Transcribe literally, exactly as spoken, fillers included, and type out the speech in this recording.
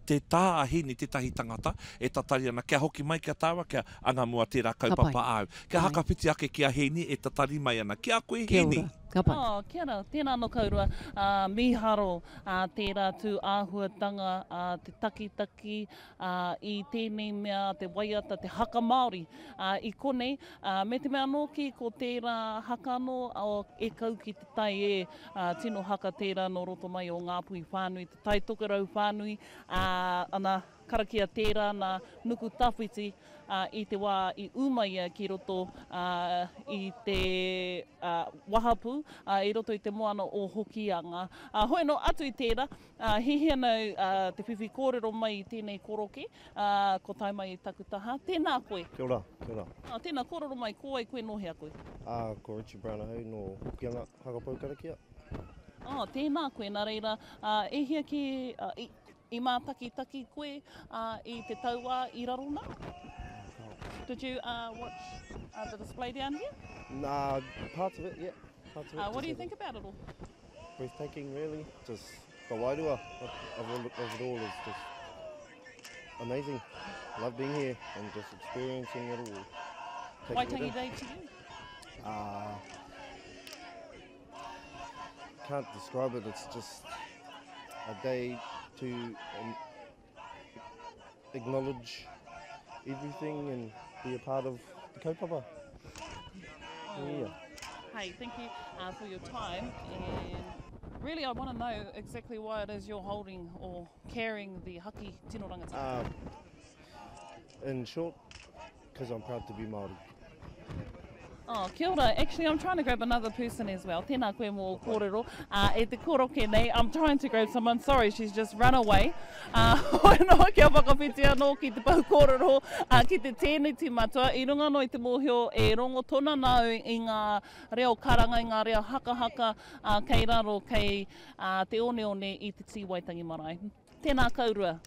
te tā a Hini tētahi tangata e tatari ana kia hoki mai kia tāua kia anga mua tērā kaupapa āu. Kia hakawhiti ake ki a Hini e tatari mai ana. Ki a koe Hini. Ka pai. Oh, kia ora, tēnā anō kaurua. Uh, mīharo uh, tērā tū āhuatanga, uh, te takitaki uh, i tēnei mea, te waiata, te haka Māori uh, i konei. Uh, me te mea anō ki ko tērā haka anō o e kau ki te tai e, uh, tino haka tērā nō roto mai o Ngāpuhi whānui, te Tai Tokerau whānui, uh, ana karakia tērā nā Nuku Tawhiti uh, i te wā i ūmaia ki roto uh, i te uh, wahapu, uh, i roto i te moana o Hokianga. Uh, hoi no atu i tērā, uh, hihi ana uh, te whiwhi kōrero mai i tēnei koroke, uh, ko tae mai i taku taha. Tēnā koe. Kia ora, kia ora. Uh, tēnā kōrero mai, ko wai koe nō hea koe? Uh, ko Richie Brown ahau nō Hokianga, Hakapau Karakia. Oh, tēnā koe, nā reira, uh, e hia ki, uh, i, i mātakitaki koe uh, i te tauā i raro nā? Did you uh, watch uh, the display down here? Nah, parts of it, yeah. Parts of it. Uh, what do you Just think about it all? Breathtaking, really. Just the wairua of, of, all, of it all is just amazing. Love being here and just experiencing it all. Taking it Waitangi in. Day to you? Uh, can't describe it. It's just a day to um, acknowledge everything and be a part of the kaupapa. Yeah. Hey, thank you uh, for your time. And really, I want to know exactly why it is you're holding or carrying the haki tino rangatira. Um, in short, because I'm proud to be Māori. Oh, kia ora. Actually, I'm trying to grab another person as well. Tēnā koe mō kōrero. Uh, e te koroke nei, I'm trying to grab someone. Sorry, she's just run away. Uh, hoi noa kia whakawhiti anō ki te pau kōrero, uh, ki te tēneti matua. I runga anō i te mōhio e rongo tona nāu i ngā reo karanga, i ngā reo hakahaka, uh, kei raro, kei uh, te oneone i te Tī Waitangi Marae. Tēnā kaurua.